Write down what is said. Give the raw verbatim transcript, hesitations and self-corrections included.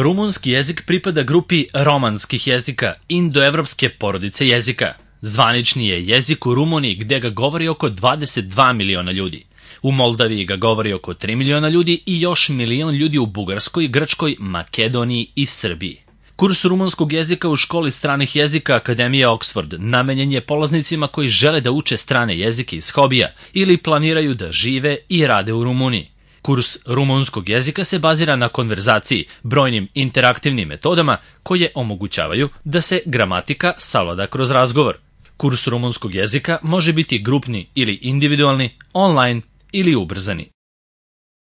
Rumunski jezik pripada grupi romanskih jezika, indoevropske porodice jezika. Zvanični je jezik u Rumuniji gde ga govori oko dvadeset dva miliona ljudi. U Moldaviji ga govori oko tri miliona ljudi i još milion ljudi u Bugarskoj, Grčkoj, Makedoniji i Srbiji. Kurs rumunskog jezika u školi stranih jezika Akademije Oxford namenjen je polaznicima koji žele da uče strane jezike iz hobija ili planiraju da žive i rade u Rumuniji. Kurs rumunskog jezika se bazira na konverzaciji, brojnim interaktivnim metodama koje omogućavaju da se gramatika savlada kroz razgovor. Kurs rumunskog jezika može biti grupni ili individualni, online ili ubrzani.